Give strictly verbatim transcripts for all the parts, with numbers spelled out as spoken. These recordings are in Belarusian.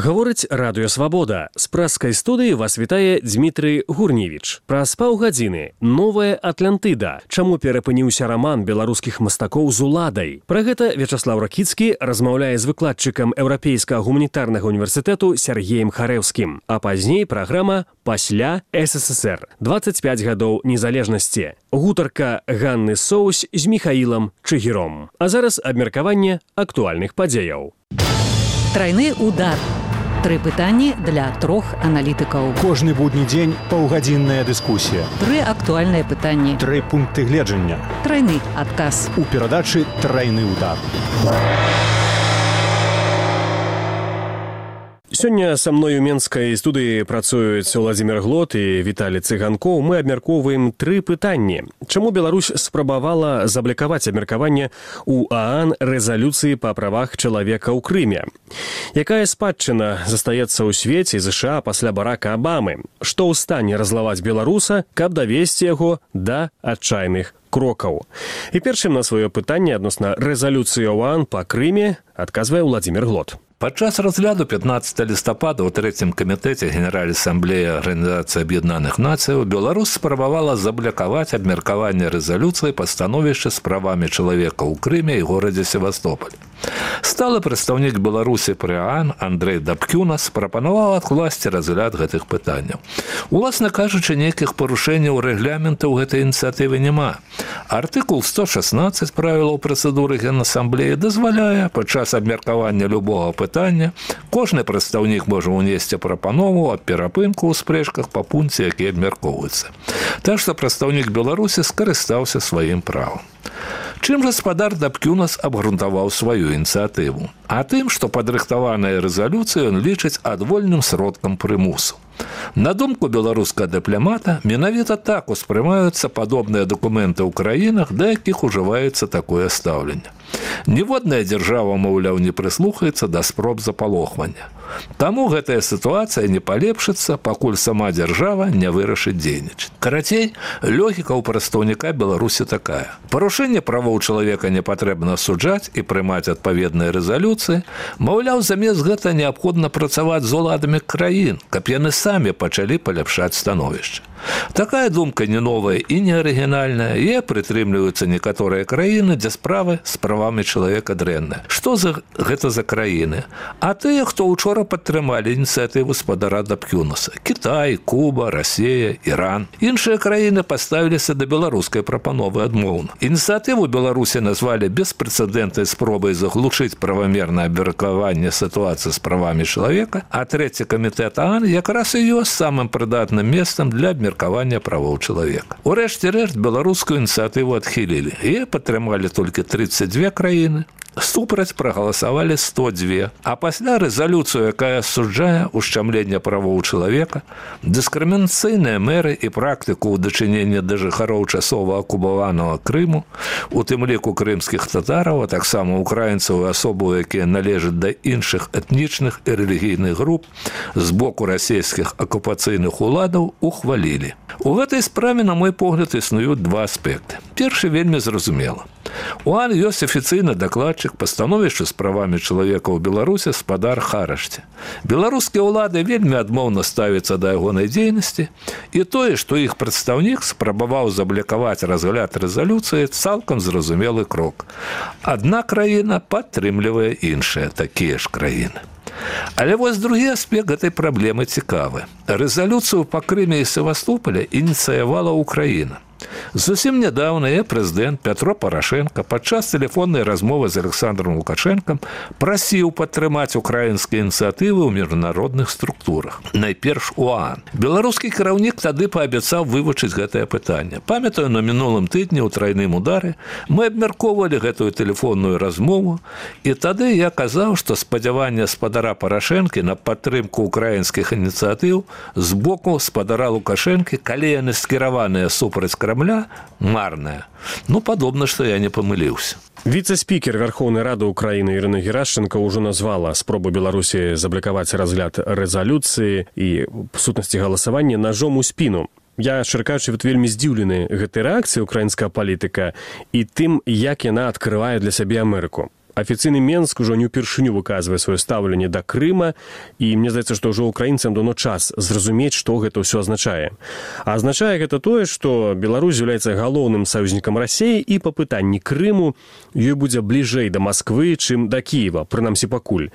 Гаворыць радыё «Свабода». З прэскай студыі вас вітае Дмітрый Гурневіч. Праз паўгадзіны «Новая Атлантыда». Чаму перапыніўся раман беларускіх мастакоў з уладай? Пра гэта Вячаслаў Ракіцкі размаўляе з выкладчыкам Еўрапейскага гуманітарнага універсітэту Сергеем Харэўскім. А пазней праграма «Пасля СССР». дваццаць пяць гадоў незалежнасці. Гутарка Ганны Соусь з Міхаілам Чыгіром. А зараз абмеркаванне актуальных падзеяў. Трайны удар. Тры пытанні для трох аналітыкаў. Кожны будні дзень паўгадзінная дыскусія. Тры актуальныя пытанні. Тры пункты гледжання. Трайны адказ. У перадачы «Трайны удар». Сёння са мной у менскай студыі працуюць Владзімир Глот і Віталій Цыганкоў. Мы абмяркоўваем тры пытанні. Чаму Беларусь спрабавала заблакаваць абмеркаванне ў ААН рэзалюцыі па правах чалавека ў Крыме? Якая спадчына застаецца ў свеце ЗША пасля Барака Абамы? Што ў стане разлаваць беларуса, каб давесці яго да адчайных крокаў? І першым на сваё пытанне адносна рэзалюцыі ОАН па Крыме адказвае Владзімир Глот. Падчас разгляду пятнаццатага лістапада ў трэцім камітэце Генеральнай асамблеі Арганізацыі Аб'яднаных Нацыяў Беларусь спрабавала заблакаваць абмеркаванне рэзалюцыі па становішчы з правамі чалавека ў Крыме і горадзе Севастополь. Сталы прадстаўнік Беларусі пры ААН Андрэй Дабкюнас прапанаваў адкласці разгляд гэтых пытанняў. Уласна кажучы, нейкіх парушэнняў рэгламента ў гэтай ініцыятыве няма. Артыкул сто шаснаццаць правілаў працэдуры Генасамблеі дазваляе падчас абмеркавання любога пытання кожны прадстаўнік можа ўнесці прапанову аб перапынку ў спрэчках па пункце, які абмяркоўваецца. Так што прадстаўнік Беларусі скарыстаўся сваім правам. Чым гаспадар Дабкюнас абгрунтаваў сваю ініцыятыву? А тым, што падрыхтаваная рэзалюцыя ён лічыць адвольным сродкам прымусу. На думку беларускага дыпламата, менавіта так успрымаюцца падобныя дакументы ў краінах, да якіх ужываецца такое стаўленне. Ніводная дзяржава, маўляў, не прыслухаецца да спроб запалохвання. Таму гэтая сітуацыя не палепшыцца, пакуль сама дзяржава не вырашыць дзейнічаць. Карацей, логіка ў прадстаўніка Беларусі такая. Парушэнне правоў чалавека не патрэбна асуджаць і прымаць адпаведныя рэзалюцыі. Маўляў, замест гэта неабходна працаваць з уладамі краін, каб яны самі пачалі паляпшаць становішча. Такая думка не новая і не арыгінальная, і прытрымліваюцца некаторыя краіны, дзе справы з правамі чалавека дрэнныя. Што за гэта за краіны? А тыя, хто учора падтрымалі ініцыятыву спадара Дабкюнаса. Кітай, Куба, Расія, Іран. Іншыя краіны паставіліся да беларускай прапановы адмоўна. Ініцыятыву Беларусі назвалі беспрэцэдэнтнай спробай заглушыць правамернае абмеркаванне сітуацыі з правамі чалавека, а трэці камітэт ААН якраз і ёсць самым прыдатным месцам для абмеркавання правоў чалавека. Урэшце рэшт беларускую ініцыятыву адхілілі. І падтрымалі толькі трыццаць дзве краіны. Супраць прагаласавалі сто два, а пасля рэзалюцыю, якая асуджае ушчамленне правоў чалавека, дыскрымінацыйныя меры і практыку ў дачыненні да жыхароў часова акупаванага Крыму, у тым ліку крымскіх татараў, а таксама украінцаў і асобаў, якія належаць да іншых этнічных і рэлігійных груп, з боку расійскіх акупацыйных уладаў ухвалілі. У гэтай справе, на мой погляд, існуюць два аспекты. Першы вельмі зразумела. У ААН ёсць афіцыйны дакладчык па становішчы з правамі чалавека ў Беларусі спадар Харашці. Беларускія ўлады вельмі адмоўна ставяцца да ягонай дзейнасці, і тое, што іх прадстаўнік спрабаваў заблакаваць разгляд рэзалюцыі, цалкам зразумелы крок. Адна краіна падтрымлівае іншыя такія ж краіны. Але вось другі аспект гэтай праблемы цікавы. Рэзалюцыю па Крыме і Севастополя ініцыявала Украіна. Зусім нядаўна я прэзідэнт Пятро Парашенко падчас тэлефоннай размовы з Александром Лукашэнкам прасіў падтрымаць украінскія ініцыятывы ў міжнародных структурах. Найперш у ААН. Беларускі кіраўнік тады паабяцаў вывучыць гэтае пытанне. Памятаю, на мінулым тыдні ў трайным удары мы абмяркоўвалі гэтую тэлефонную размову, і тады я казаў, што спадзяванне спадара Парашэнкі на падтрымку украінскіх ініцыятыў з боку спадара Лукашэнкі, калі яны скіраваныя супраць Крамля, марная. Ну, падобна, што я не памыліўся. Віцэ-спікер Верховнай Рады Украіны Ірына Герашченко ўжо назвала спробу Беларусі заблакаваць разгляд рэзалюцыі і, в сутнасці, галасавання ножом у спіну. Я, шчыра, вельмі здзіўлены гэтай рэакцыяй украінскага палітыка і тым, як яна адкрывае для сябе Амерыку. Афіцыйны Менск ужо не ўпершыню выказвае сваё стаўленне да Крыма, і мне здаецца, што ўжо украінцам даўно час зразумець, што гэта ўсё азначае. А азначае гэта тое, што Беларусь з'яўляецца галоўным саюзнікам Расіі, і па пытанні Крыму ёй будзе бліжэй да Масквы, чым да Кіева, прынамсі пакуль.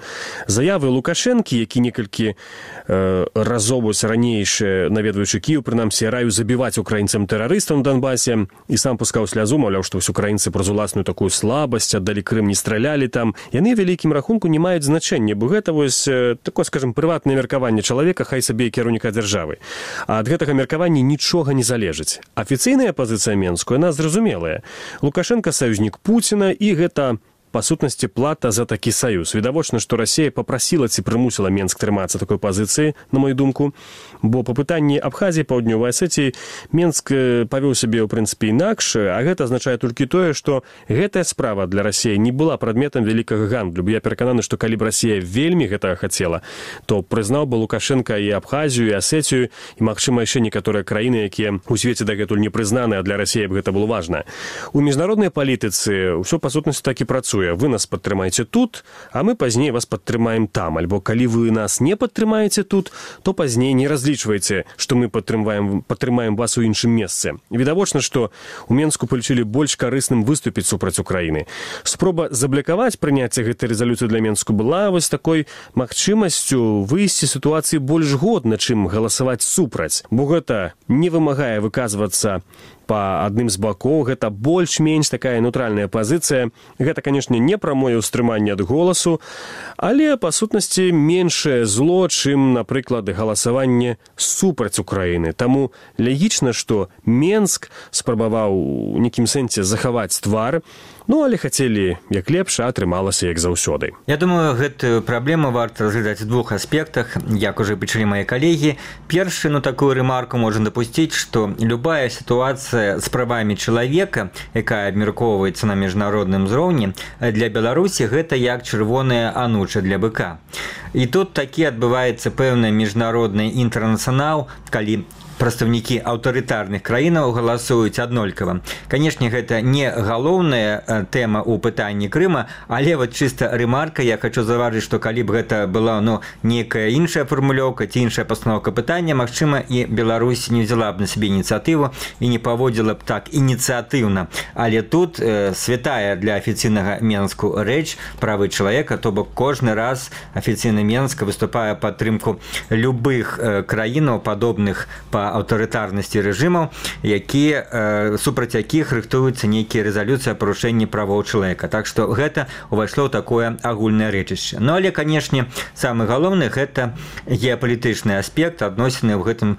Заявы Лукашэнкі, які некалькі э, разоў ранейшы наведваючы Кіеў, прынамсі раю забіваць украінцам тэрарыстам на Донбасе, і сам пускаў слязу, маўляў, што ўсе украінцы праз уласную такую слабасць аддалі Крым, не стралялі там, яны вялікім рахунку не маюць значэння, бо гэта вось такое, скажем, прыватнае меркаванне чалавека, хай сабе і кіраўніка дзяржавы. А ад гэтага меркавання нічога не залежыць. Афіцыйная пазіцыя Менску, яна зразумелая. Лукашенко саюзнік Пуціна, і гэта па сутнасці плата за такі саюз. Відавочна, што Расія папрасіла ці прымусіла Менск трымацца такой пазіцыі, на мою думку, бо па пытанні Абхазіі, Паўднёвай Асетіі Менск павёў сябе, ў прынцыпе, інакш, а гэта азначае толькі тое, што гэтая справа для Расіі не была прадметам вялікага гандлю. Я перакананы, што калі б Расія вельмі гэтага хацела, то прызнаў бы Лукашенка і Абхазію, і Асетію, і, магчыма, яшчэ некаторыя краіны, якія ў свеце дагэтуль не прызнаны, а для Расіі б гэта было важна. У міжнароднай палітыцы ўсё па сутнасці так і працуе. Вы нас падтрымаеце тут, а мы пазней вас падтрымаем там. Альбо калі вы нас не падтрымаеце тут, то пазней не разлічвайце, што мы падтрымаем, падтрымаем вас у іншым месцы. Відавочна, што у Менску палічылі больш карысным выступіць супраць Украіны. Спроба заблякаваць прыняцце гэтай рэзалюцыі для Менску была вось такой магчымасцю выйсці з сітуацыі больш годна, чым галасаваць супраць. Бо гэта не вымагае выказвацца па адным з бакоў, гэта больш-менш такая нейтральная пазіцыя. Гэта, канешне, не прамое ўстрыманне ад голасу, але, па сутнасці, меншае зло, чым, напрыклад, галасаванне супраць Украіны. Таму лагічна, што Менск спрабаваў у нейкім сэнсе захаваць твар, ну, але хацелі як лепш, а атрымалася як заўсёды. Я думаю, гэтую праблему варта разглядаць у двух аспектах, як уже пачалі мае калегі. Першы, ну, такую рэмарку можна дапусціць, што любая сітуацыя з правамі чалавека, якая абмяркоўваецца на міжнародным узроўні, для Беларусі гэта як чырвоная ануча для быка. І тут такі адбываецца пэўны міжнародны інтэрнацыянал, калі прадстаўнікі аўтарытарных краінаў галасуюць аднолькава. Канешне, гэта не галоўная тэма ў пытанні Крыма, але вот чыста рэмарка, я хочу заўважыць, што калі б гэта была, ну, некая іншая фармулёўка ці іншая пастаноўка пытання, магчыма, і Беларусь не взяла б на сябе ініцыятыву і не паводзіла б так ініцыятыўна. Але тут э, святая для афіцыйнага Менску рэч правы чалавека, то бок кожны раз афіцыйны Менск выступае падтрымку любых э, краінаў, падобных па аўтарытарнасці рэжымаў, якія, э, супраць якіх рыхтуюцца нейкія рэзалюцыі о парушэнні правоў чалавека. Так што гэта ўвайшло ў такое агульнае рэчышча. Ну, але, канешне, самы галоўны гэта геапалітычны аспект, адносіны ў гэтым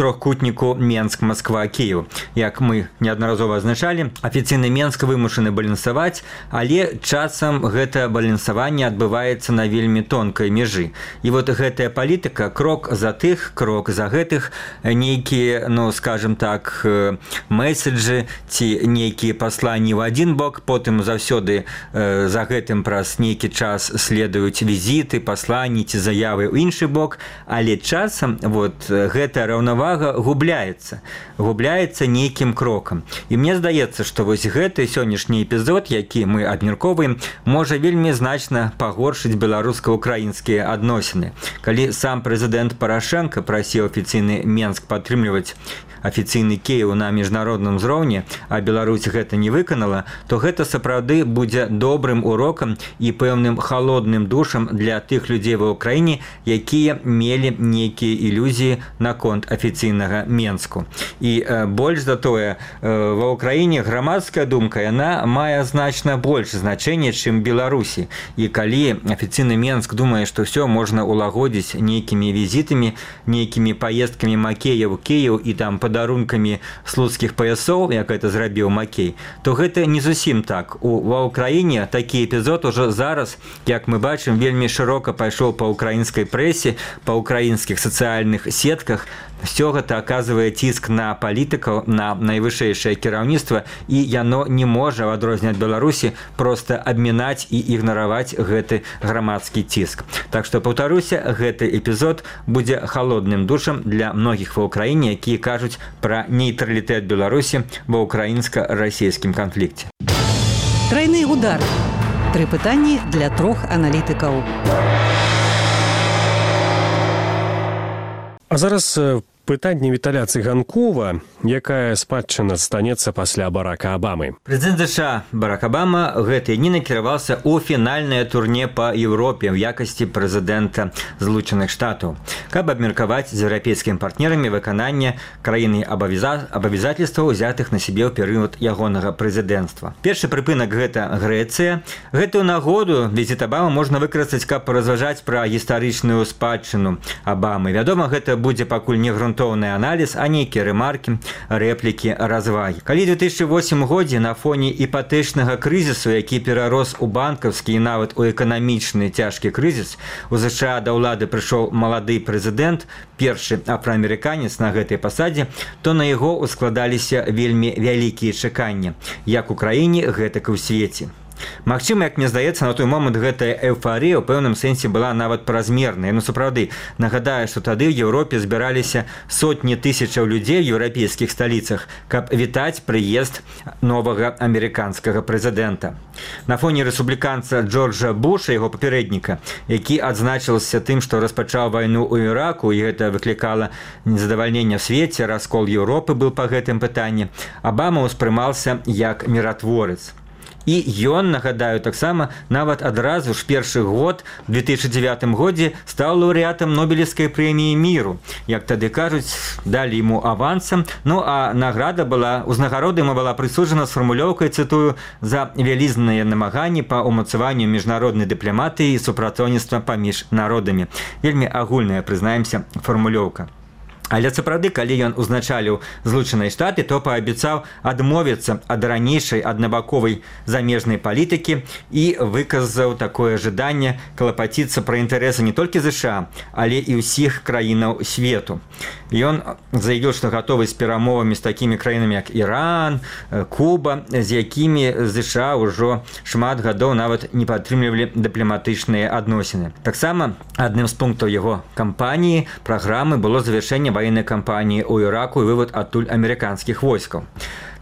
трохкутніку Менск, Москва, Киев. Як мы неаднаразова азначалі, афіцыйны Менск вымушаны балансаваць, але часам гэта балансаванне адбываецца на вельмі тонкай межы. І вот гэтая палітыка крок за тых, крок за гэтых, нейкія, ну, скажем так, месседжы ці нейкія пасланні ў адзін бок, потым заўсёды э, за гэтым праз нейкі час следуюць візіты, пасланні ці заявы ў іншы бок, але часам вот гэта раўнавага губляецца, губляецца нейкім крокам. І мне здаецца, што вось гэты сённяшні эпізод, які мы абмяркоўваем, можа вельмі значна пагоршыць беларуска-украінскія адносіны. Калі сам прэзідэнт Парашенко прасіў афіцыйны Менск падтрымліваць афіцыйны Кіеў на міжнародным узроўні, а Беларусь гэта не выканала, то гэта сапраўды будзе добрым урокам і пэўным халодным душам для тых людзей ва ўкраіне, якія мелі нейкія ілюзіі наконт афіцыйнага Менску. І э, больш за тое, э, ва ўкраіне грамадская думка, яна мае значна больш значэнне, чым Беларусі. І калі афіцыйны Менск думае, што ўсё можна улагодзіць нейкімі візітамі, нейкімі паездкамі Макея ў Кіеў і там падарункамі слуцкіх паясоў, як гэта зрабіў Макей, то гэта не зусім так. У, ва ўкраіне такі эпізод ужо зараз, як мы бачым, вельмі шырока пайшоў па ўкраінскай прэсе, па ўкраінскіх сацыяльных сетках. Все гэта аказвае ціск на палітыкаў, на найвышэйшае кіраўніцтва, і яно не можа, в адрозненне ад Беларусі, проста абмінаць і ігнараваць гэты грамадскі ціск. Так што, паўтаруся, гэты эпізод будзе халодным душам для многіх ва ўкраіне, якія кажуць пра нейтралітэт Беларусі ва ўкраінска-расійскім канфлікце. Тройны удар. Тры пытанні для трох аналітыкаў. А зараз пытанне Віталя Цыганкова, якая спадчына станецца пасля Барака Абамы. Прэзідэнт ЗША Барак Абама гэтыя дні накіраваўся ў фінальнае турне па Еўропе ў якасці прэзідэнта Злучаных Штатаў, каб абмеркаваць з еўрапейскімі партнерамі выкананне краіны абавязательстваў, узятых на сябе ў перыяд ягонага прэзідэнцтва. Першы прыпынак гэта Грэцыя. Гэтую нагоду візіт Абама можна выкарыстаць, каб разважаць пра гістарычную спадчыну Абамы. Вядома, гэта будзе пакуль не грунтоўны аналіз, а нейкія рэмаркі, рэплікі, развагі. Калі ў две тысячы восьмым годзе на фоне іпатэчнага крызісу, які перарос у банкаўскі і нават у эканамічны цяжкі крызіс, у ЗША да ўлады прыйшоў малады прэзідэнт, першы афраамерыканец на гэтай пасадзе, то на яго ускладаліся вельмі вялікія чаканні, як у краіне, гэтак і ў свеце. Магчыма, як мне здаецца, на той момант гэтая эйфарыя ў пэўным сэнсе была нават празмерная. Ну, сапраўды, нагадаю, што тады ў Еўропе збіраліся сотні тысячаў людзей у еўрапейскіх сталіцах, каб вітаць прыезд новага амерыканскага прэзідэнта. На фоне рэспубліканца Джорджа Буша, яго папярэдніка, які адзначыўся тым, што распачаў вайну ў Іраку, і гэта выклікала незадавальненне ў свеце, раскол Еўропы быў па гэтым пытанні, Абама ўспрымаўся як міратворец. І ён, нагадаю, таксама нават адразу ж першы год, у две тысячы дзевятым годзе, стаў лаўрэатам Нобелевскай прэміі міру. Як тады кажуць, далі яму авансам. Ну, а награда была, узнагарода яму была прысуджана з фармулёўкай, цытую, за вялізныя намаганні па ўмацаванню міжнароднай дыпламатыі і супрацоўніцтва паміж народамі. Вельмі агульная, прызнаемся, фармулёўка. Але сапраўды, калі ён узначаліў Злучаныя Штаты, то паабяцаў адмовіцца ад ранейшай аднабаковай замежнай палітыкі і выказаў такое жаданне клапаціцца пра інтарэсы не толькі ЗША, але і ўсіх краінаў свету. Ён заявіў, што гатовы з перамовамі з такімі краінамі, як Іран, Куба, з якімі ЗША ўжо шмат гадоў нават не падтрымлівалі дыпламатычныя адносіны. Таксама адным з пунктаў яго кампаніі праграмы было завяршэнне военной кампании у Іраку і вывод адтуль амерыканскіх войскаў.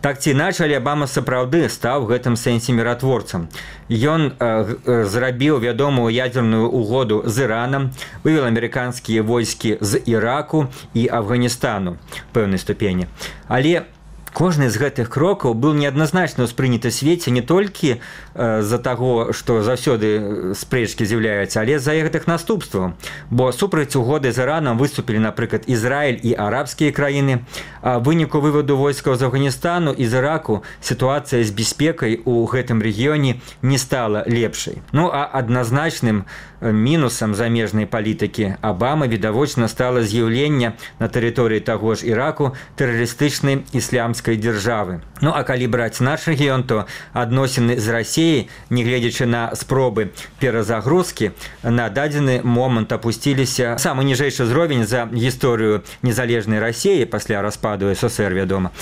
Так ці іначай, але Абама сапраўды стаў у гэтым сэнсе міратворцам. Ён э, зрабіў вядомую ядерную угоду з Іранам, вывел амерыканскія войскі з Іраку і Афганістану в пэўнай ступені. Але кожны з гэтых крокаў быў неадназначна ўспрыняты свеце не толькі э, з-за таго, што заўсёды спрэчкі з'яўляюцца, але з-за гэтых наступстваў. Бо супраць угоды з Іранам выступілі, напрыклад, Ізраіль і арабскія краіны. А выніку выводу войскаў з Афганістану і з Іраку сітуацыя з бяспекай у гэтым рэгіёне не стала лепшай. Ну, а адназначным мінусам замежнай палітыкі Абама відавочна стала з'яўленне на тэрыторыі таго ж Іраку тэрарыстычнай ісламскай дзяржавы. Ну, а калі браць наш рэгіён, то адносіны з Расіяй, нягледзячы на спробы перазагрузкі, на дадзены момант апусціліся самы ніжэйшы ўзровень за гісторыю незалежнай Расіі пасля распаду СССР, вядома.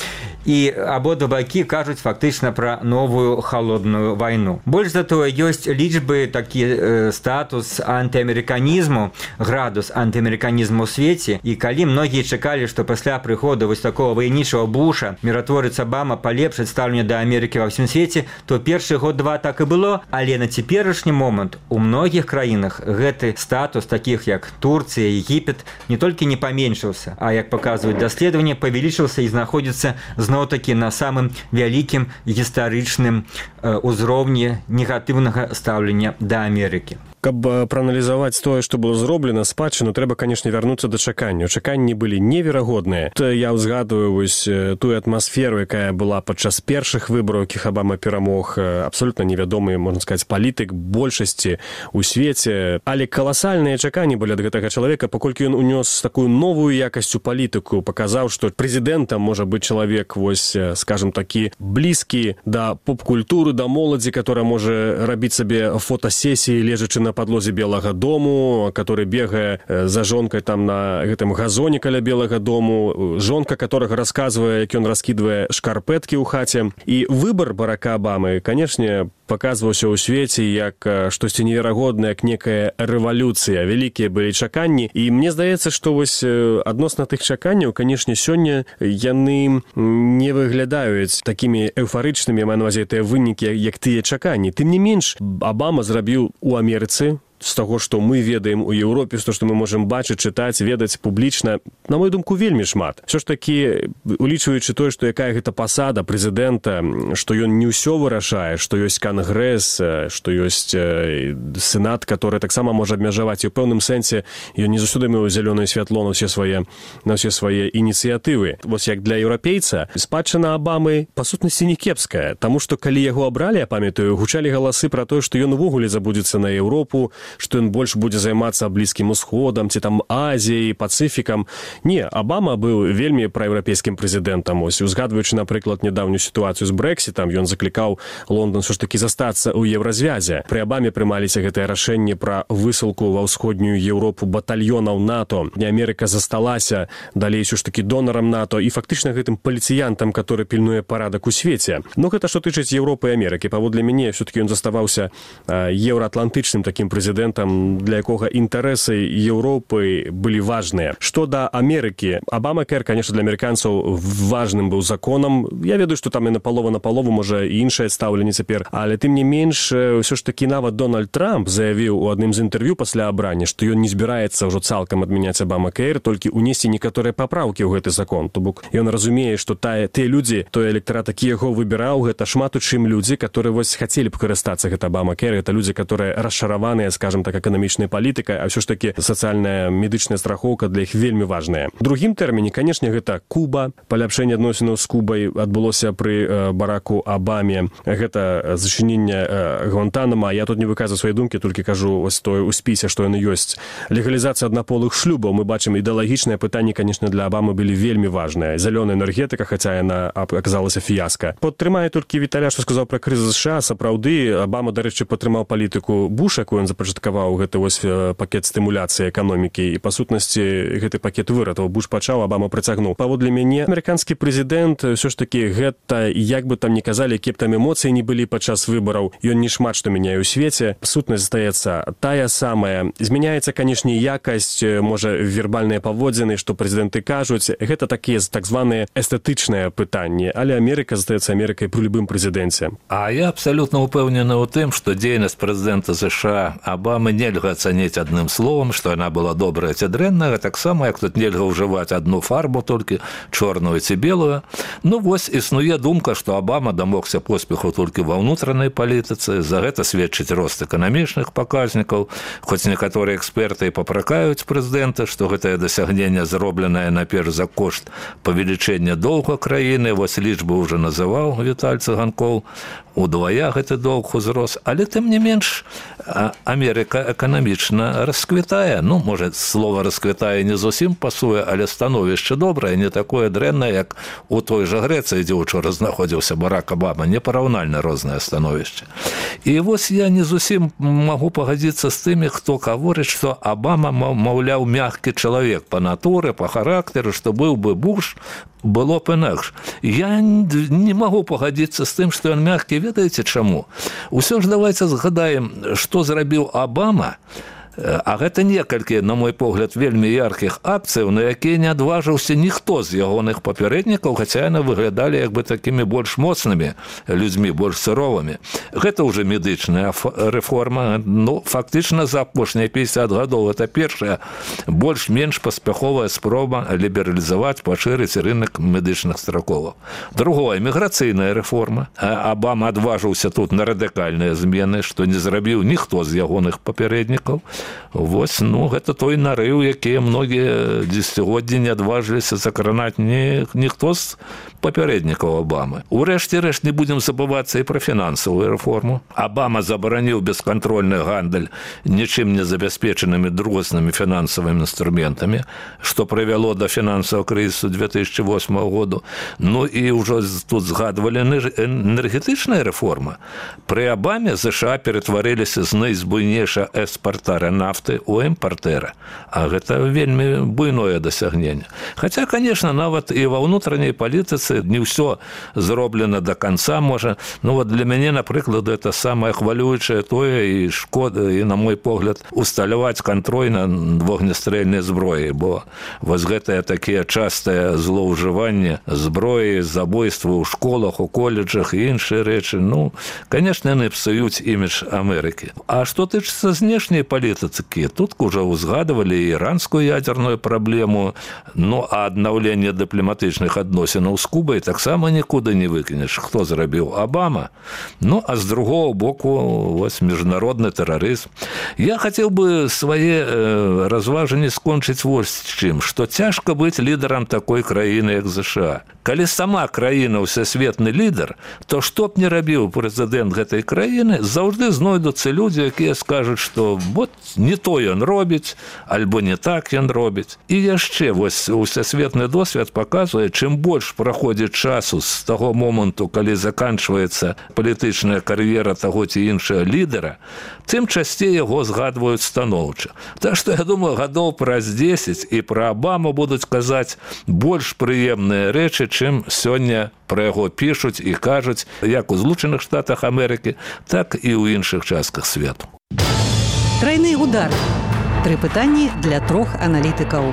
І абодва бакі кажуць фактычна пра новую халодную вайну. Больш за тое, ёсць лічбы, такі э, статус антыамерыканізму, градус антыамерыканізму ў свеце, і калі многія чакалі, што пасля прыходу вось такого ваенічага Буша міратворец Абама палепшыць стаўленне да Амерыкі ва ўсім свеце, то першы год-два так і было, але на цяперашні момант у многіх краінах гэты статус, такіх як Турцыя, Егіпет, не толькі не паменшыўся, а, як паказваюць даследаванні, павялічыўся і знаходзіцца зноў-такі на самым вялікім гістарычным узроўні негатыўнага стаўлення да Амерыкі. Каб прааналізаваць тое, што было зроблена, спадчыну, трэба, канешне, вярнуцца да чакання. Чаканні былі неверагодныя. Я ўзгадваю вось тую атмасферу, якая была падчас першых выбараў, якіх Абама перамог, абсолютна невядомы, можна сказаць, палітык большасці ў свеце. Але каласальныя чаканні былі ад гэтага чалавека, паколькі ён унёс такую новую якасць у палітыку, паказаў, што прэзідэнтам можа быць чалавек, вось, скажем такі, блізкі да поп-культуры, да моладзі, которая можа рабіць сабе фотасесіі, лежачы на подлозе Белага дому, который бегае за жонкой там на гэтым газоне каля Белага дому, жонка, которая рассказывае, як ён раскидывае шкарпэткі ў хаце. І выбор Барака Абамы, конечно, паказваўся ў свеце як штосьці неверагоднае, як некая рэвалюцыя. Вялікія былі чаканні. І мне здаецца, што вось адносна тых чаканняў, канешне, сёння яны не выглядаюць такімі эўфарычнымі, маю на ўвазе тыя вынікі, як тыя чаканні. Тым не менш, Абама зрабіў у Амерыцы, з таго, што мы ведаем у Еўропе, з таго, што мы можам бачыць, чытаць, ведаць публічна, на мою думку, вельмі шмат. Всё ж такі, улічваючы тое, што якая гэта пасада прэзідэнта, што ён не ўсё вырашае, што ёсць кангрэс, што ёсць сенат, который таксама можа абмежаваць, і ў пэўным сэнсе ён не заўсёды меў зялёнае святло на ўсе свае, на ўсе свае ініцыятывы. Вось як для еўрапейца, спадчына Абамы, па сутнасці, не кепская, таму што калі яго абралі, я памятаю, гучалі галасы пра тое, што ён увогуле забудзецца на Еўропу, што ён больш будзе займацца Блізкім Усходам, ці там Азіяй, Пацыфікам. Не, Абама быў вельмі праеўрапейскім прэзідэнтам. Ось, узгадваючы, напрыклад, нядаўнюю сітуацыю з Брэксітам, ён заклікаў Лондан ўсё ж такі застацца ў еўразвязе. Пры Абаме прымаліся гэтыя рашэнні пра высылку ва ўсходнюю Еўропу батальёнаў НАТО. Не Амерыка засталася далей ўсё ж такі донарам НАТО і фактычна гэтым паліцыянтам, который пільнуе парадак у свеце. Ну, гэта што тычыць Еўропы і Амерыкі. Паводле мяне, ўсё-такі ён заставаўся еўраатлантычным такім прэзідэнтам, для якога інтарэсы Еўропы былі важныя. Што да Амерыкі, Абама-кэр, конечно, для амерыканцаў важным быў законам. Я ведаю, што там і напалова на палову, можа, і іншае стаўленне цяпер, але тым не менш, ўсё ж такі нават Дональд Трамп заявіў у адным з інтэрв'ю пасля абрання, што ён не збіраецца ўжо цалкам адмяняць Абама-кэр, толькі ўнесці некаторыя папраўкі ў гэты закон. То бок ён разумее, што тыя людзі, той электорат, які яго выбіраў, гэта шмат у чым людзі, которые вось хацелі б карыстацца гэта Абама-кэр, гэта людзі, которые расчараваныя, скажем так, эканамічная палітыка, а ўсё ж такі сацыяльная медычная страхоўка для іх вельмі важная. У другім тэрміне, канешне, гэта Куба. Паляпшэнне адносінаў з Кубай адбылося пры э, Бараку Абаме. Гэта зачыненне э, Гвантанама. Я тут не выказваю свае думкі, толькі кажу ось тое ў спісе, што яны ёсць. Легалізацыя аднаполых шлюбаў. Мы бачым, ідэалагічныя пытанні, канешне, для Абамы былі вельмі важныя. Зялёная энергетыка, хаця яна аказалася фіяска. Падтрымае толькі Віталя, што сказаў пра крызіс США. Сапраўды, Абама, дарэчы, падтрымаў палітыку Буша, якую ён запачаткаваў гэты вось пакет стымуляцыі эканомікі, і па сутнасці гэты пакет выратаў. Буш пачаў, Абама прыцягнуў. Паводле мяне, амерыканскі прэзідэнт ўсё ж такі гэта, як бы там ні казалі, якія б там эмоцыі не былі падчас выбараў, ён не шмат што мяняе ў свеце. Сутнасць застаецца тая самая. Змяняецца, канешне, якасць, можа, вербальныя паводзіны, што прэзідэнты кажуць. Гэта такія так званыя эстэтычныя пытанні, але Амерыка застаецца Амерыкай пры любым прэзідэнце. А я абсалютна ўпэўнены ў тым, што дзейнасць прэзідэнта США Абамы нельга ацаніць адным словам, што яна была добрая ці дрэнная, таксама, як тут нельга ўжываць адну фарбу, толькі чорную ці белую. Ну, вось існуе думка, што Абама дамогся поспеху толькі ва ўнутранай палітыцы, за гэта сведчыць рост эканамічных паказнікаў, хоць некаторыя эксперты і папракаюць прэзідэнта, што гэтае дасягненне зробленае наперш за кошт павелічэння доўга краіны, вось лічбы ўжо называў Віталь Цыганкоў, удвая гэты доўг узрос, але тым не менш Амерыка эканамічна расквітае. Ну, можа, слова расквітае не зусім пасуе, але становішча добрае, не такое дрэннае, як у той жа Грэцыі, дзе учора знаходзіўся Барак Абама, непараўнальна рознае становішча. І вось я не зусім магу пагадзіцца з тымі, хто гаворыць, што Абама, маўляў, мяккі чалавек па натуры, па характару, што быў бы Буш, было б інакш. Я не магу пагадзіцца з тым, што ён мяккі. Ведаеце чаму? Усё ж давайце згадаем, што зрабіў Абама, а гэта некалькі, на мой погляд, вельмі яркіх акцыяў, на якія не адважыўся ніхто з ягоных папярэднікаў, хаця яны выглядалі як бы такімі больш моцнымі людзьмі, больш суровымі. Гэта ўжо медычная рэформа. Ну, фактычна за апошнія пятьдесят гадоў гэта першая больш-менш паспяховая спроба лібералізаваць, пашырыць рынок медычных страховак. Другое, міграцыйная рэформа. Абама адважыўся тут на радыкальныя змены, што не зрабіў ніхто з ягоных папярэднікаў. Вось, ну, гэта той нарыў, якія многія дзесяцігоддзі не адважыліся закранаць ні, ніхто з папярэднікаў Абамы. Урэшце рэшт не будзем забывацца і пра фінансавую рэформу. Абама забараніў бескантрольны гандаль нічым не забяспечанымі другаснымі фінансавымі інструментамі, што прывяло да фінансавага крызісу две тысячи восьмого году. Ну і ўжо тут згадвалі энергетычная рэформа. Пры Абаме США ператварыліся з найбуйнейшага экспартара нафты у імпартэра. А гэта вельмі буйное дасягненне. Хаця, конечно, нават і ва ўнутранняй палітыцы не ўсё зроблена до конца, можа. Ну вот для мяне, напрыклад, это самае хвалюючае тое і шкода, і, на мой погляд, усталяваць кантроль на вогнестрэльнай зброі, бо вось гэтыя такія частыя злоўжыванні зброі, забойствы ў школах, у колледжах і іншыя рэчы, ну, конечно, яны псуюць імідж Амерыкі. А што тычыцца знешняй палітыкі, тут уже узгадывалі іранскую ядерную праблему, ну, а аднаўленне дыпламатычных адносінаў з Кубай таксама нікуды не выкінеш. Хто зрабіў? Обама. Ну, а з другого боку, вось міжнародны тэрарызм. Я хацеў бы свае э, разважанні скончыць вось чым, што цяжка быць лідарам такой краіны, як ЗША. Калі сама краіна ўсесветны лідар, то што б не рабіў прэзідэнт гэтай краіны, заўжды знойдуцца людзі, якія скажуць, што вот не то ён робіць, альбо не так ён робіць. І яшчэ вось усесветны досвед паказвае, чым больш праходзіць часу з таго моманту, калі заканчваецца палітычная кар'ера таго ці іншага лідара, тым часцей яго згадваюць станоўча. Так што, я думаю, гадоў праз дзесяць і пра Обаму будуць казаць больш прыемныя рэчы, чым сёння пра яго пішуць і кажуць як у Злучаных Штатах Амерыкі, так і ў іншых частках свету. Трайны удар. Тры пытанні для трох аналітыкаў.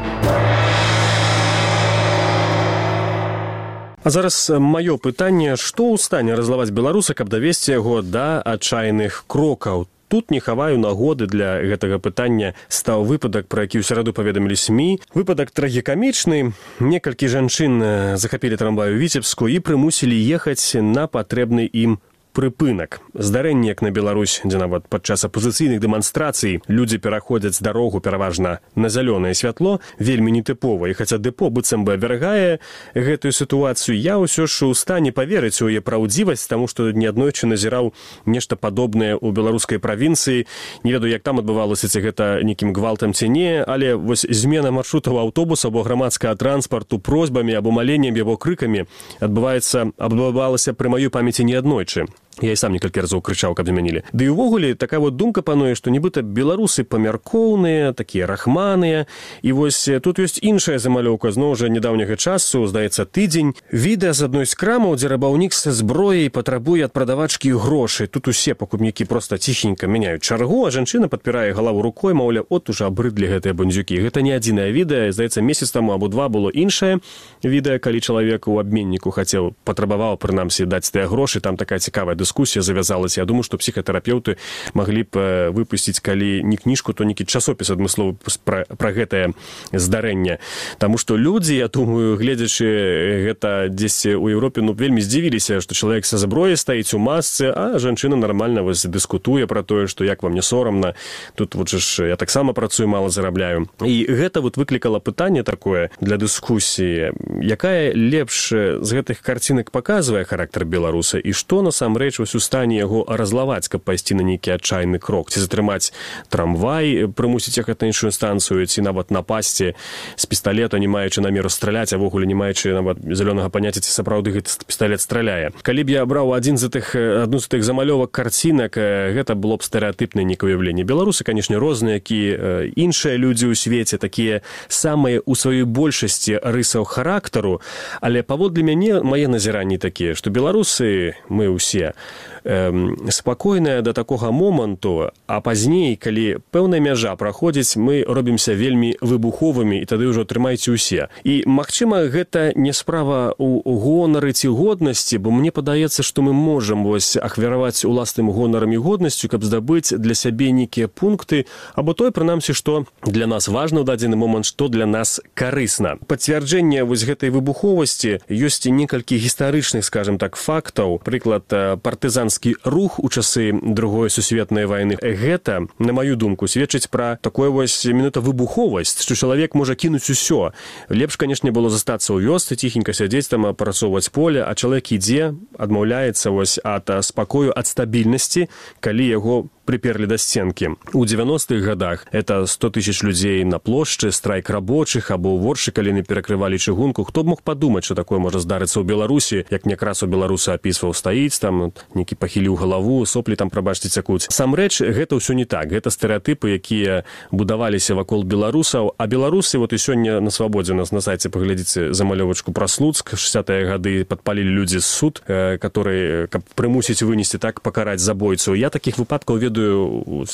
А зараз маё пытанне, што ў стане разлаваць беларуса, каб давесці яго да адчайных крокаў? Тут не хаваю нагоды для гэтага пытання стаў выпадак, пра які ў сераду паведамілі СМІ. Выпадак трагікамічны. Некалькі жанчын захапілі трамвай у Віцебску і прымусілі ехаць на патрэбны ім прыпынак. Здарэнне, як на Беларусь, дзе нават падчас апозіцыйных дэманстрацый людзі пераходзяць дарогу пераважна на зялёнае святло, вельмі нетыпова. І хаця дэпо быццам бы абвяргае гэтую сітуацыю, я ўсё ж у стане паверыць у яе праўдзівасць, таму што неаднойчы назіраў нешта падобнае ў беларускай правінцыі. Не ведаю, як там адбывалася, ці гэта нейкім гвалтам ці не, але вось змена маршрутаў аўтобуса або грамадскага транспарту просьбамі або маленнем або крыкамі адбываецца, адбывалася пры маёй памяці неаднойчы. Я і сам некалькі разоў крычаў, каб змянілі. Ды і ўвогуле такая вот думка пануе, што нібыта беларусы памяркоўныя, такія рахманыя. І вось тут ёсць іншая замалёўка, зноў жа нядаўняга часу, здаецца, тыдзень. Відэа з адной з крамаў, дзе рабаўнік са зброяй патрабуе ад прадавачкі грошы. Тут усе пакупнікі проста ціхенька мяняюць чаргу, а жанчына падпірае галаву рукой, маўля, от ужо абрыдлі гэтыя бандзюкі. Гэта не адзінае відэа, здаецца, месяц таму або два было іншае відэа, калі чалавек у абменніку хацеў, патрабаваў, прынамсі, даць тыя грошы, там такая цікавая дыскусія завязалась. Я думаю, што псіхатэрапеўты маглі б выпусціць, калі не кніжку, то нейкі часопіс адмысловы пра, пра гэтае здарэнне. Таму што людзі, я думаю, гледзячы гэта дзесьці ў Еўропе, ну, вельмі здзівіліся, што чалавек са зброяй стаіць у масцы, а жанчына нармальна вось дыскутуе пра тое, што як вам не сорамна. Тут вот ж я таксама працую, мала зарабляю. І гэта вот выклікала пытанне такое для дыскусіі, якая лепш з гэтых карцінак паказвае характар беларуса і што насамрэч у стане яго разлаваць, каб пайсці на нейкі адчайны крок, ці затрымаць трамвай, прымусіць ехаць на іншую станцыю, ці нават напасці з пісталета, не маючы намеру страляць, а вогуле не маючы нават зялёнага паняцця, ці сапраўды гэты пісталет страляе. Калі б я браў адзін з тых, адну з тых замалёвак карцінак, гэта было б стэрэатыпнае нейкае уяўленне. Беларусы, канешне, розныя, які іншыя людзі ў свеце, такія самыя ў сваёй большасці рысаў характару, але паводле мяне мае назіранні такія, што беларусы, мы ўсе, спакойная да такога моманту, а пазней, калі пэўная мяжа праходзіць, мы робімся вельмі выбуховымі, і тады ўжо трымайце ўсе. І, магчыма, гэта не справа ў гонары ці годнасці, бо мне падаецца, што мы можам вось ахвяраваць уласным гонарам і годнасцю, каб здабыць для сябе нейкія пункты, або той, прынамсі, што для нас важна ў дадзены момант, што для нас карысна. Пацвярджэнне вось гэтай выбуховасці ёсць некалькі гістарычных, скажем так, фактаў. Прыклад, партызанскі рух у часы другой сусветнай вайны. Гэта, на маю думку, сведчыць пра такое вось менавіта выбуховасць, што чалавек можа кінуць усё. Лепш, канешне, было застацца ў вёсцы, ціхенька сядзець там, апрацоўваць поле, а чалавек ідзе, адмаўляецца вось ад спакою, ад стабільнасці, калі яго приперлі да сценкі. У девяностых годах это сто тысяч людзей на плошчы, страйк рабочых або воршы, калі не перакрывалі чыгунку. Хто б мог падумаць, што такое можа здарыцца ў Беларусі, як някраз у беларуса апісваў, стаіць там, некі пахіліў галаву, соплі там, прабачце, цякуць. Сам рэч, гэта ўсё не так. Гэта стэрэатыпы, якія будаваліся вакол беларусаў, а беларусы, вот і сёння на свабодзе у нас на сайце паглядзіце замалёвачку пра Слуцк, шэсцятыя гады падпалілі людзі з суд, которые, каб прымусіць вынесці, так пакараць забойцу. Я такіх выпадкаў ведаю,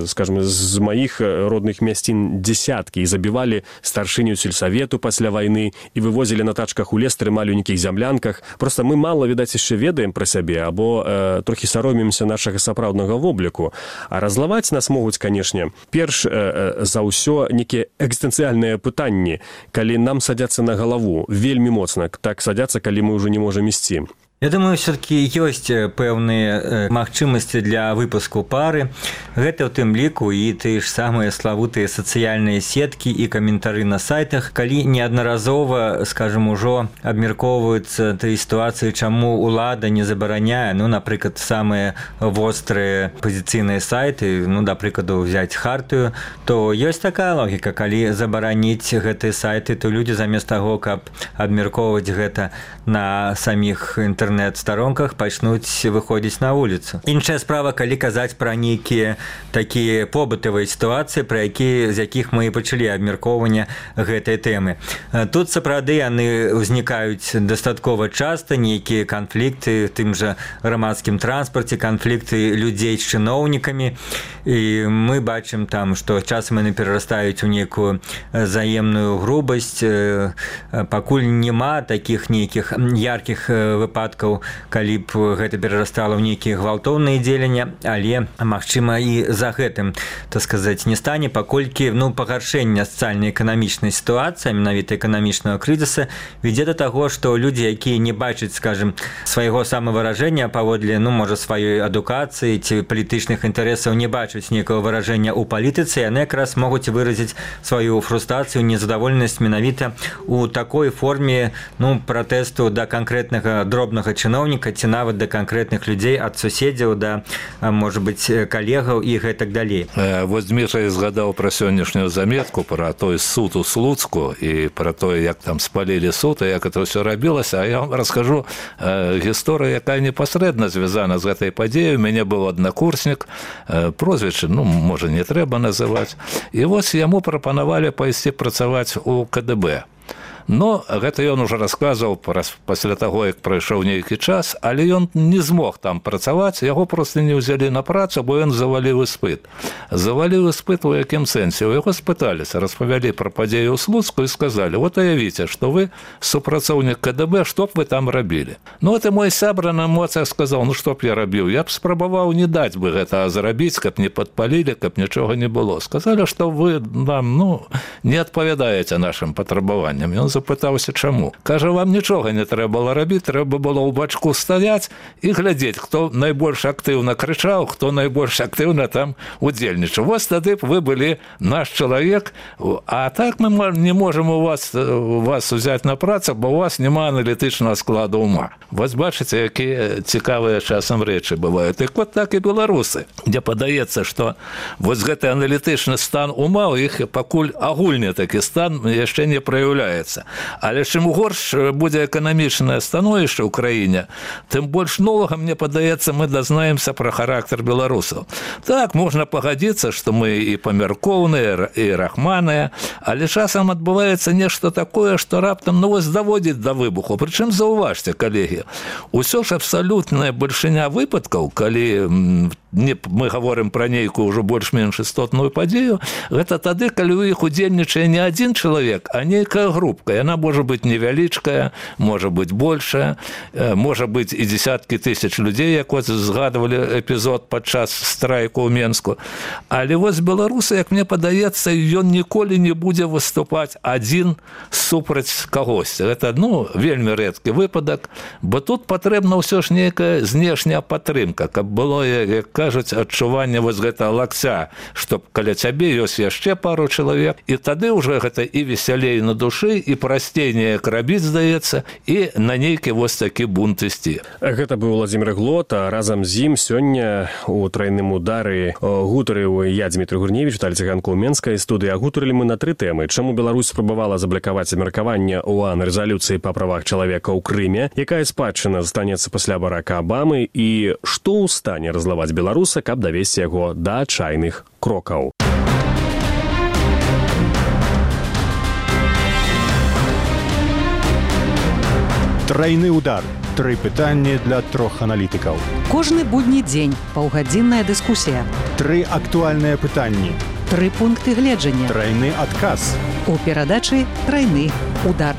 скажем, з маіх родных мясцін десяткі, і забівалі старшыню сельсавету пасля вайны, і вывозілі на тачках у лес, трымалі ў нейкіх зямлянках. Просто мы мала, відаць, яшчэ ведаем пра сябе, або э, трохі саромімся нашага сапраўднага вобліку. А разлаваць нас могуць, канешне, перш э, за ўсё нейкія экзістэнцыяльныя пытанні, калі нам садзяцца на галаву, вельмі моцна, так садзяцца, калі мы ўжо не можам ісці. Я думаю, все-таки ёсць пэўныя магчымасці для выпуску пары. Гэта ў тым ліку і тыя ж самыя славутыя сацыяльныя сеткі і каментары на сайтах, калі неаднаразова, скажем, ужо абмяркоўваюцца тыя сітуацыі, чаму ўлада не забараняе, ну, напрыклад, самыя вострыя пазіцыйныя сайты, ну, да прыкладу, взять хартыю, то ёсць такая логіка, калі забараніць гэтыя сайты, то людзі замест таго, каб абмяркоўваць гэта на саміх інтэрнэтах, інтэрнэт-старонках пачнуць выходзіць на вуліцу. Іншая справа, калі казаць пра нейкія такія побытавыя сітуацыі, пра якія, з якіх мы пачалі абмяркоўванне гэтай тэмы. Тут сапраўды яны ўзнікаюць дастаткова часта, нейкія канфлікты, тым жа грамадскім транспарце, канфлікты людзей з чыноўнікамі, і мы бачым там, што часам яны перарастаюць у нейкую заемную грубасць, пакуль няма такіх нейкіх яркіх выпадкаў, калі б гэта перарастала ў нейкія гвалтоўныя дзеянні, але, магчыма, і за гэтым, так сказаць, не стане, паколькі, ну, пагаршэнне сацыяльна-эканамічнай сітуацыі, менавіта эканамічнага крызіса, вядзе да таго, што людзі, якія не бачаць, скажем, свайго самавыражэння паводле, ну, можа, сваёй адукацыі ці палітычных інтарэсаў, не бачаць нейкага выражэння ў палітыцы, яны якраз могуць выразіць сваю фрустрацыю, незадаволенасць менавіта ў такой форме, ну, пратэсту да канкрэтнага дробнага чыноўніка ці нават да канкрэтных людзей, ад суседзяў да, можа быць, калегаў і гэтак далей. Вось Дмітрый згадаў пра сённяшнюю заметку пра той суд у Слуцку і пра тое, як там спалілі суд і як это ўсё рабілася, а я вам раскажу э, гісторыю, якая непасрэдна звязана з гэтай падзеяй. У мяне быў аднакурснік, э, прозвішча, ну, можа, не трэба называць, і вось яму прапанавалі пайсці працаваць у ка дэ бэ. Но гэта ён ужо расказваў пасля таго, як прайшоў нейкі час, але ён не змог там працаваць, яго проста не ўзялі на працу, бо ён заваліў іспыт. Заваліў іспыт у якім сэнсе? У яго спыталіся, распавялі пра падзею ў Слуцку і сказалі: вот уявіце, што вы супрацоўнік ка дэ бэ, што б вы там рабілі? Ну, это мой сябра на эмоцыях сказаў: ну, што б я рабіў? Я б спрабаваў не даць бы гэта зрабіць, каб не падпалілі, каб нічога не было. Сказалі, што вы нам, ну, не адпавядаеце нашым патрабаванням. Ён запытаўся, чаму. Кажа, вам нічога не трэба было рабіць, трэба было ў бачку стаяць і глядзець, хто найбольш актыўна крычаў, хто найбольш актыўна там удзельнічаў. Вось тады б вы былі наш чалавек, а так мы не можам у вас, у вас узяць на працу, бо у вас няма аналітычнага складу ума. Вось бачыце, якія цікавыя часам рэчы бываюць. Так вот так і беларусы, дзе падаецца, што вось гэты аналітычны стан ума у іх пакуль агульны такі стан яшчэ не праяўляецца. Але чым горш будзе эканамічнае становішча ў краіне, тым больш новага, мне падаецца, мы дазнаемся пра характар беларусаў. Так, можна пагадзіцца, што мы і памяркоўныя, і рахманыя, але часам адбываецца нешта такое, што раптам, ну, вось даводзіць да выбуху. Прычым, заўважце, калегі, усё ж абсалютная бальшыня выпадкаў, калі не, мы говорим пра нейкую ўжо больш-менш істотную падзею, гэта тады, калі ў іх удзельнічае не адзін чалавек, а нейкая групка. Яна можа быць невялічкая, можа быць большая, можа быць і дзесяткі тысяч людзей, як вот згадывалі эпізод падчас страйку ў Менску. Але вось беларусы, як мне падаецца, ён ніколі не будзе выступаць адзін супраць кагосьці. Гэта, ну, вельмі рэдкі выпадак, бо тут патрэбна ўсё ж нейкая знешняя падтрымка, каб было, як кажуць, адчуванне вось гэтага лакця, што каля цябе ёсць яшчэ пару чалавек, і тады ўжо гэта і весялей на душы, і прасцей неяк рабіць, здаецца, і на нейкі вось такі бунт ісці. Гэта быў Уладзімір Глот, а разам з ім сёння у трайным удары гутарыў я, Дмітрий Гурневіч, Віталій Циганко ў Менскай студыі. А гутарылі мы на тры тэмы. Чаму Беларусь спрабавала заблакаваць абмеркаванне ОАН рэзалюцыі па правах чалавека ў Крыме, якая спадчына застанецца пасля Барака Абамы, і што ў стане разлаваць беларуса, каб давесці яго да адчайных крокаў. Трайны удар. Тры пытанні для трох аналітыкаў. Кожны будні дзень паўгадзінная дыскусія. Тры актуальныя пытанні. Тры пункты гледжання. Трайны адказ. У перадачы «Трайны удар».